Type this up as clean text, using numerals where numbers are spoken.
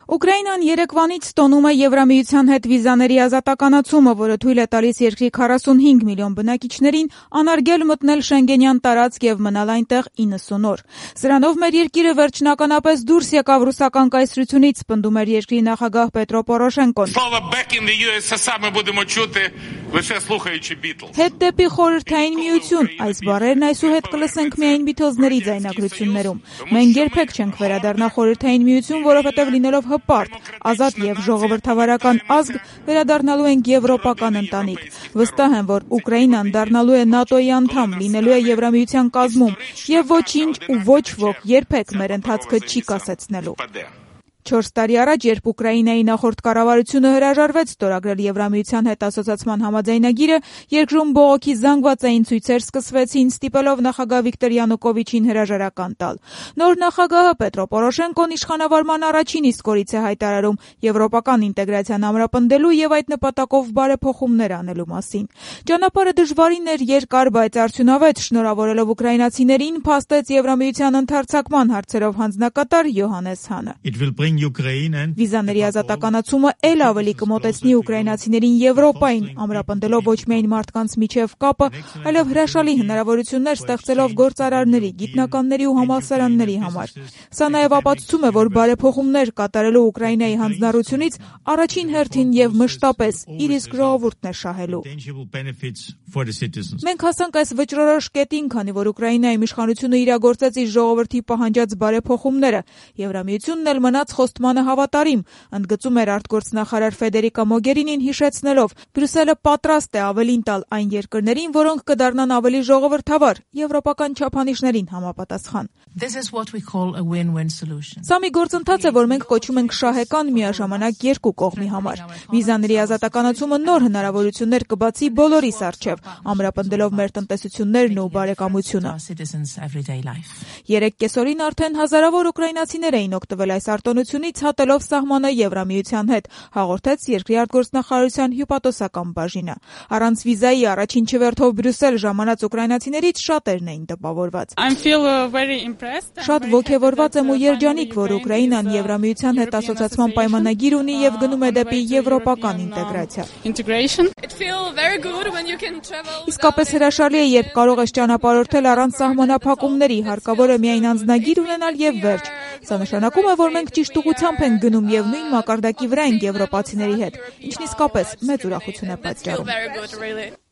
Ուկրաինան երեկվանից տոնում է Եվրամիության հետ վիզաների ազատականացումը, որը թույլ է տալիս երկրի 45 միլիոն բնակիչներին անարգել մտնել Շենգենյան տարածք եւ մնալ այնտեղ 90 օր։ Սրանով մեր երկիրը վերջնականապես դուրս եկավ ռուսական կայսրությունից, պնդում էր երկրի նախագահ Պետրո Պորոշենկոն։ Հետ դեպի խորհրդային միություն, այս բառերն այսուհետ կլսենք միայն Բիթլզների ձայնագրություններում։ Մենք երբեք չենք վերադառնա խորհրդային միություն, որովհետև լինելով հպարտ, ազատ եւ ժողովրդավարական ազգ վերադառնալու ենք եվրոպական ընտանիք։ Վստահ եմ, որ Ուկրաինան դառնալու է ՆԱՏՕ-ի անդամ, լինելու է Եվրամիության կազմում եւ ոչինչ ու ոչ ոք երբեք մեր ընթացքը չի կասեցնելու։ 4 տարի առաջ, երբ Ուկրաինայի նախորդ կառավարությունը հրաժարվեց ստորագրել Եվրամիության հետ ասոցիացման համաձայնագիրը, երկրում բողոքի զանգվածային ցույցեր սկսվեցին, ստիպելով նախագահ Վիկտոր Յանուկովիչին հրաժարական տալ։ Նոր նախագահը Պետրո Պորոշենկոն իշխանավարման առաջին իսկ օրից է հայտարարում եվրոպական ինտեգրացիան ամրապնդելու եւ այդ նպատակով բարեփոխումներ անելու մասին։ Ճանապարհը դժվարին էր, երկար, բայց արդյունավետ, շնորհավորելով ուկրաինացիներին, փաստեց Եվրամիության ընդարձակման հարցերով հանձնակատար Յոհաննես Հանը։ Վիզաների ազատականացումը էլ ավելի կմոտեցնի ուկրաինացիներին Եվրոպային, ամրապնդելով ոչ միայն մարդկանց միջև կապը, այլև հրաշալի հնարավորություններ ստեղծելով գործարարների, գիտնականների ու համալսարանների համար։ Սա նաև ապացուցում է, որ բարեփոխումներ կատարելու Ուկրաինայի հանձնառությունից առաջին հերթին եւ մշտապես իր իսկ ժողովուրդն է շահելու։ Մենք հասանք այս վճռորոշ կետին, քանի որ Ուկրաինայի իշխանությունը իրագործեց իր ժողովրդի պահանջած բարեփոխումները։ Եվրամիությունն էլ մնաց խոստմանը հավատարիմ, ընդգծում էր արտգործնախարար Ֆեդերիկա Մոգերինին, հիշեցնելով. Բրյուսելը պատրաստ է ավելին տալ այն երկրներին, որոնք կդառնան ավելի ժողովրդավար, եվրոպական չափանիշներին համապատասխան։ Սա մի գործընթաց է, որ մենք կոչում ենք շահեկան միաժամանակ երկու կողմի համար։ Վիզաների ազատականացումը նոր հնարավորություններ կբացի բոլորիս առջև, ամրապնդելով մեր տնտեսություններն ու բարեկամությունը։ 3 կեսօրին արդեն հազարավոր ուկրաինացիներ էին օգտվել այս արտոնությունից, հատելով սահմանը Եվրամիության հետ, հաղորդեց երկրի արտգործնախարարության հյուպատոսական բաժինը։ Առանց վիզայի առաջին չվերթով Բրյուսել ժամանած ուկրաինացիներից շատերն էին տպավորված։ Շատ ոգևորված եմ ու երջանիկ, որ Ուկրաինան Եվրամիության հետ ասոցիացման պայմանագիր ունի եւ գնում է դեպի եվրոպական ինտեգրացիա։ Իսկապես հրաշալի է, երբ կարող ես ճանապարհորդել առանց սահմանափակումների, հարկավոր է միայն անձնագիր ունենալ եւ վերջ։ Սա նշանակում է, որ մենք ճիշտ ուղղությամբ ենք գնում եւ նույն մակարդակի վրա ենք եվրոպացիների հետ, ինչն իսկապես մեծ ուրախություն է պատճառում։